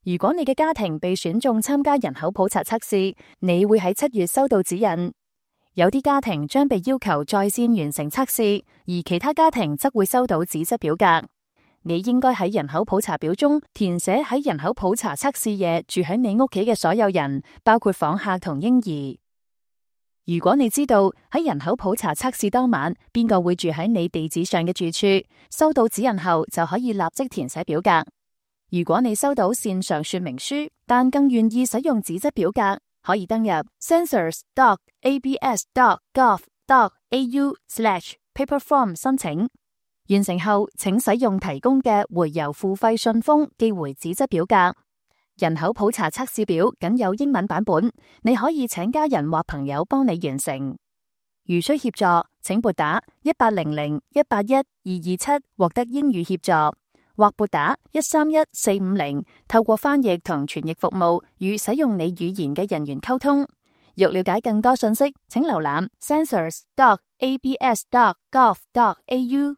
如果你嘅家庭被選中參加人口普查測試，你會喺7月收到指引。有啲家庭將被要求在線完成測試，而其他家庭則會收到紙質表格。你應該喺人口普查表中填寫喺人口普查測試夜住喺你屋企嘅所有人，包括訪客同嬰兒。如果你知道喺人口普查測試當晚邊個會住喺你地址上嘅住處，收到指引後就可以立即填寫表格。如果你收到線上說明書，但更願意使用紙質表格，可以登入 census.abs.gov.au/paperform 申請。完成後，請使用提供嘅回郵付費信封寄回紙質表格。人口普查測試表僅有英文版本，你可以請家人或朋友幫你完成。如需協助，請撥打1800-181-227獲得英語協助，或撥打131-450，透過翻譯同傳譯服務與使用你語言嘅人員溝通。欲了解更多信息，請瀏覽 census.abs.gov.au。